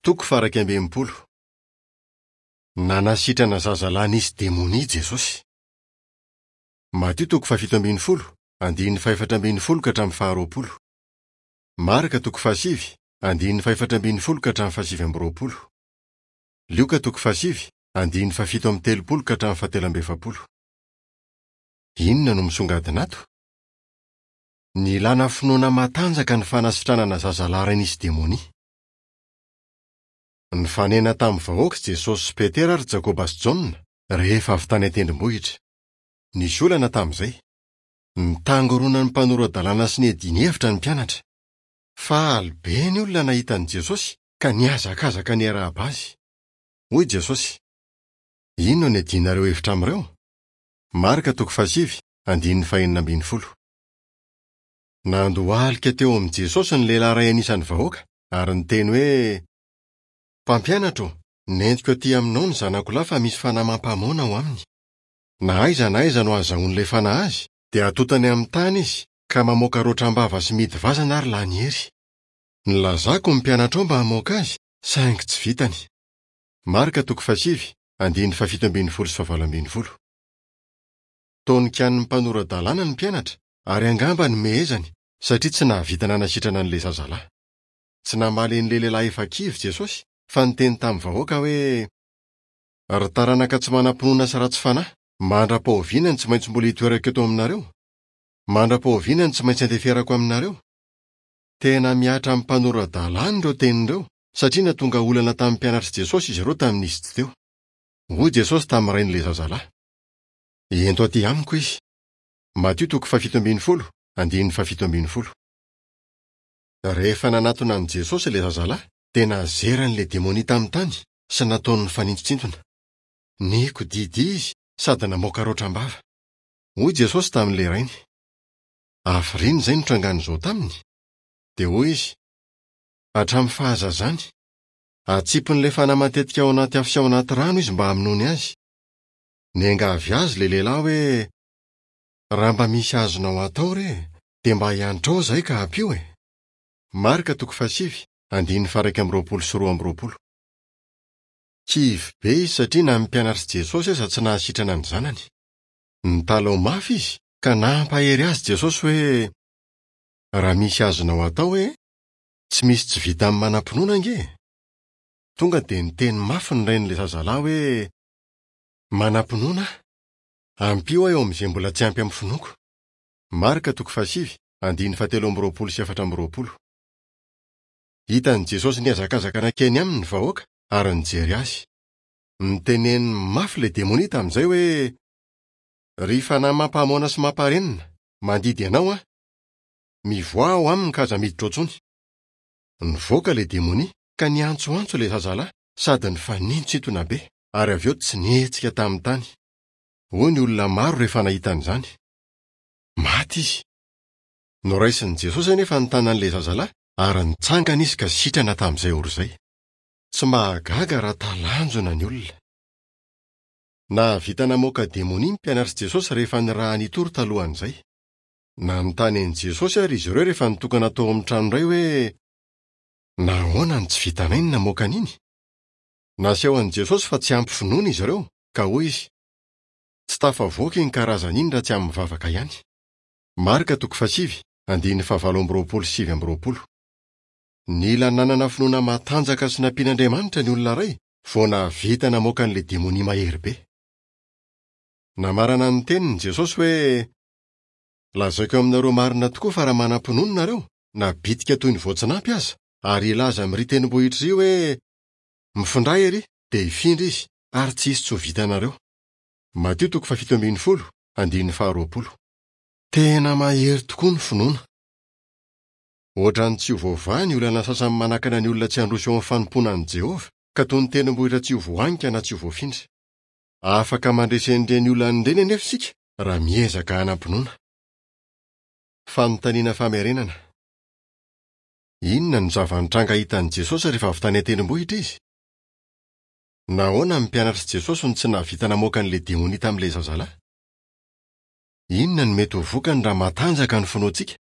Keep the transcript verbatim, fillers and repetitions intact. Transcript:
Toko faha-iraika amby enimpolo. Nanasitrana zazalahy nisy demonia Jesosy. Matio toko fahafito ambin'ny folo, andininy fahefatra ambin'ny folo ka hatramin'ny faharoapolo. Marka toko fahasivy, andininy fahefatra ambin'ny folo ka hatramin'ny fahasivy amby roapolo. Lioka toko fahasivy, andininy fahafito amby telopolo ka hatramin'ny fahatelo amby efapolo. Inona no misongadina ato? Nilana finoana matanjaka ny fanasitranana zazalahy iray nisy demonia. Nifanena tamin'ny vahoaka Jesosy sy Petera ary Jakoba sy Jaona rehefa avy tany an-tendrombohitra. Nisy olana tamin'izay. Nitangoronan'ny mpanora-dalàna sy niadiany hevitra ny mpianatra. Faly be ny olona nahita an'i Jesosy ka nihazakazaka niarahaba azy. Hoy Jesosy: "Inona no iadianareo hevitra amin'ireo?" Marka toko fahasivy, andininy fahenina ambin'ny folo. Nandohalika teo amin'i Jesosy ny lehilahy iray anisan'ny vahoaka ary niteny hoe: "Mpampianatra ô, nentiko aty aminao ny zanako lahy fa misy fanahy mampamoana ao aminy. Na aiza na aiza no ahazahoan'ilay fanahy azy, dia atotany amin'ny tany izy ka mamoaka roatra am-bava sy mihidy vazana ary lany hery. Nilazako ny mpianatrao mba hamoaka azy, saingy tsy vitany." Marka toko fahasivy, andininy fahafito ambin'ny folo sy fahavalo ambin'ny folo. Tonokian'ny mpanora-dalàna ny mpianatra ary angamba nomehezany satria tsy nahavita nanasitrana an'ilay zazalahy. Tsy namaly an'ilay lehilahy efa kivy Jesosy fa niteny tamin'ny vahoaka hoe: "Ry taranaka tsy manam-pinoana sy ratsy fanahy, mandra-pahoviana no tsy maintsy mbola hitoerako eto aminareo? Mandra-pahoviana no tsy maintsy andeferako aminareo?" Tena mihatra amin'ny mpanora-dalàna ireo teny ireo satria nahatonga olana tamin'ny mpianatr'i Jesosy izy ireo tamin'izy tsy teo. Hoy Jesosy tamin'ny rain'ilay zazalahy: "Ento aty amiko izy." Matio toko fahafito ambin'ny folo, andininy fahafito ambin'ny folo. Rehefa nanatona an'i Jesosy ilay zazalahy, dia nazeran'ilay demonia tamin'ny tany sy nataony nifanintontsintona. Nikodidia izy sady namoaka roatra am-bava. Hoy Jesosy tamin'ilay rainy: "Hafiriana izay nitrangan'izao taminy?" Dia hoy izy: "Hatramin'ny fahazazany. Atsipin'ilay fanahy matetika ao anaty afo sy ao anaty rano izy mba hamonoany azy." Niangavy azy ilay lehilahy hoe: "Raha mba misy azonao atao re, dia mba hiantrao izahay ka ampio e." Marka toko fahasivy, andininy faha-iraika amby roapolo sy roa amby roapolo. Kivy be izy satria na ny mpianatr'i Jesosy aza tsy nahasitrana ny zanany. Nitalaho mafy izy ka nampahery azy Jesosy hoe: "Raha misy azonao atao e, tsy misy tsy vita amin'ny manam-pinoana ange." Tonga dia niteny mafy ny rain'ilay zazalahy hoe: "Manam-pinoana aho. Ampio aho eo amin'izay mbola tsy ampy amin'ny finoako." Marka toko fahasivy, andininy fahatelo amby roapolo sy efatra amby roapolo. Hitan'i Jesosy nihazakazaka nankeny aminy ny vahoaka ary nijery azy. Niteneniny mafy ilay demonia tamin'izay hoe: "Ry fanahy mampamoana sy mamparenina, mandidy anao aho. Mivoaha ao aminy ka aza miditra ao intsony." Nivoaka ilay demonia ka niantsoantso ilay zazalahy sady nifanintontsintona be ary avy eo tsy nihetsika tamin'ny tany. Hoy ny olona maro rehefa nahita an'izany: "Maty izy." Noraisin'i Jesosy anefa ny tanan'ilay zazalahy ary nitsangana izy ka sitrana tamin'izay ora izay. Tsy mahagaga raha talanjona ny olona. Nahavita namoaka demonia ny mpianatr'i Jesosy rehefa nirahany hitory talohan'izay. Nanontany an'i Jesosy ary izy ireo rehefa nitokana tao amin'ny trano iray hoe: "Nahoana no tsy vitanay ny namoaka an'iny?" Naseho an'i Jesosy fa tsy ampy finoana izy ireo ka hoy izy: "Tsy tafavoaka iny karazana iny raha tsy amin'ny vavaka ihany." Marka toko fahasivy, andininy fahavalo amby roapolo sy sivy amby roapolo. Nila nanana finoana matanjaka sy nampian'Andriamanitra ny olona iray vao nahavita namoaka an'ilay demonia mahery be. Namarana ny teniny Jesosy hoe: "Lazaiko aminareo marina tokoa fa raha manam-pinoana nareo, na bitika toy ny voatsinampy aza, ary hilaza amin'ry tendrombohitra iry hoe: 'Mifindrà ery', dia hifindra izy, ary tsy hisy tsy ho vitanareo." Matio toko fahafito ambin'ny folo, andininy faharoapolo. Tena mahery tokoa ny finoana. Ohatran'ny tsy ho voavaha ny olana sasany manakana ny olona tsy handroso eo amin'ny fanompoana an'i Jehovah, ka toy ny tendrombohitra tsy ho voahanika na tsy ho voafindra. Afaka mandresy an'ireny olana ireny anefa isika raha miezaka hanam-pinoana. Fanontaniana famerenana. Inona no zava-nitranga hitan'i Jesosy rehefa avy tany an-tendrombohitra izy? Nahoana ny mpianatr'i Jesosy no tsy nahavita namoaka an'ilay demonia tamin'ilay zazalahy? Inona no mety ho vokany raha matanjaka ny finoantsika